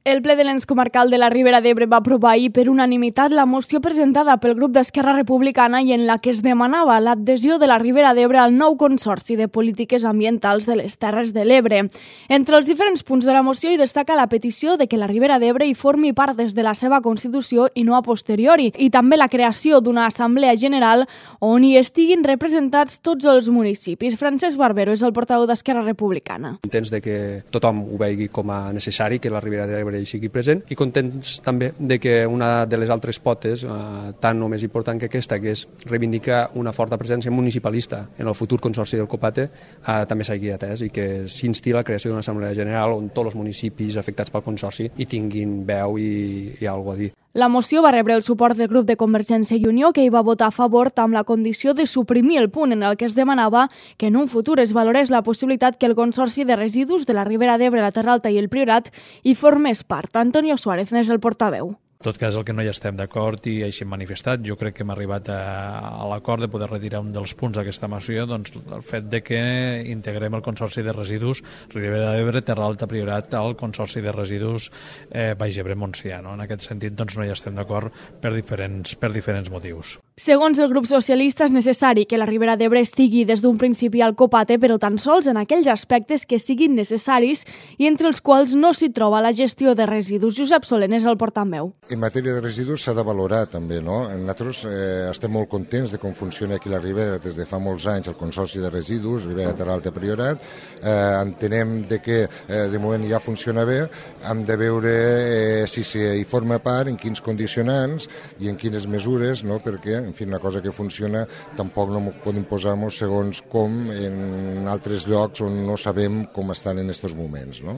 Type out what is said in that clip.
El ple de l'ens comarcal de la Ribera d'Ebre va aprovar ahir per unanimitat la moció presentada pel grup d'Esquerra Republicana i en la que es demanava l'adhesió de la Ribera d'Ebre al nou Consorci de Polítiques Ambientals de les Terres de l'Ebre. Entre els diferents punts de la moció hi destaca la petició de que la Ribera d'Ebre hi formi part des de la seva Constitució i no a posteriori, i també la creació d'una Assemblea General on hi estiguin representats tots els municipis. Francesc Barbero és el portaveu d'Esquerra Republicana. Contents de que tothom ho vegi com a necessari, que la Ribera d'Ebre hi sigui present, i contents també de que una de les altres potes, tant o més important que aquesta, que és reivindicar una forta presència municipalista en el futur Consorci del Copate, també s'hagi atès i que s'insti la creació d'una Assemblea General on tots els municipis afectats pel Consorci hi tinguin veu i alguna a dir. La moció va rebre el suport del grup de Convergència i Unió, que hi va votar a favor amb la condició de suprimir el punt en el que es demanava que en un futur es valorés la possibilitat que el Consorci de Residus de la Ribera d'Ebre, la Terra Alta i el Priorat hi formés part. Antonio Suárez n'és el portaveu. En tot cas, el que no hi estem d'acord i així hem manifestat, jo crec que hem arribat a l'acord de poder retirar un dels punts d'aquesta moció, doncs el fet de que integrem el Consorci de Residus Ribera d'Ebre, Terra Alta, Priorat al Consorci de Residus Baix Ebre, Montsià. En aquest sentit, doncs, no hi estem d'acord per diferents motius. Segons el grup socialista, és necessari que la Ribera d'Ebre estigui des d'un principi al Copate, però tan sols en aquells aspectes que siguin necessaris i entre els quals no s'hi troba la gestió de residus. Josep Soler és el portaveu. En matèria de residus s'ha de valorar també, no? Nosaltres estem molt contents de com funciona aquí la Ribera des de fa molts anys el Consorci de Residus, Ribera, Terra Alta, Priorat. Entenem que de moment ja funciona bé, hem de veure si hi forma part, en quins condicionants i en quines mesures, no? Perquè, en fi, una cosa que funciona tampoc no podem posar-nos segons com en altres llocs on no sabem com estan en aquests moments, no?